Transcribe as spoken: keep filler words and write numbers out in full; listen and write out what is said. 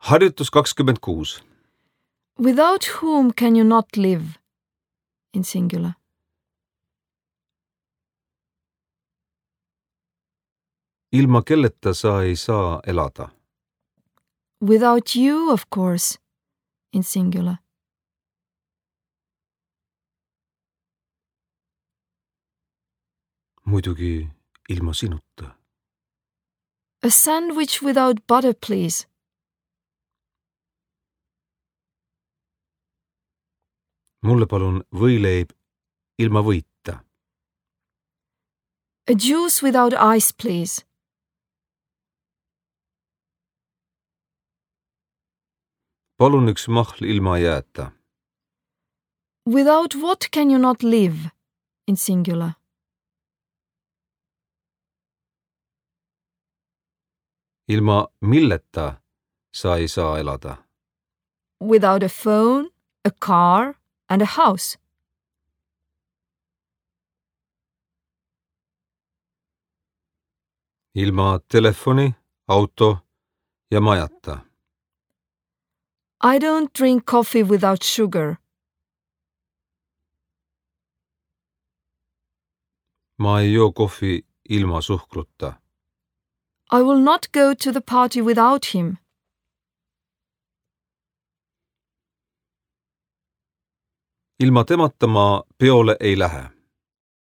Harjutus kakskümmend kuus. Without whom can you not live? In singular. Ilma kelleta sa ei saa elada. Without you, of course. In singular. Muidugi ilma sinuta. A sandwich without butter, please. Mulle palun võileib ilma võita. A juice without ice, please. Palun üks mahl ilma jääta. Without what can you not live? In singular. Ilma milleta sa ei saa elada. Without a phone, a car, and a house. Ilma telefoni, auto ja majata. I don't drink coffee without sugar. Ma ei joo kohvi ilma suhkruta. I will not go to the party without him. Ilma temata ma peole ei lähe.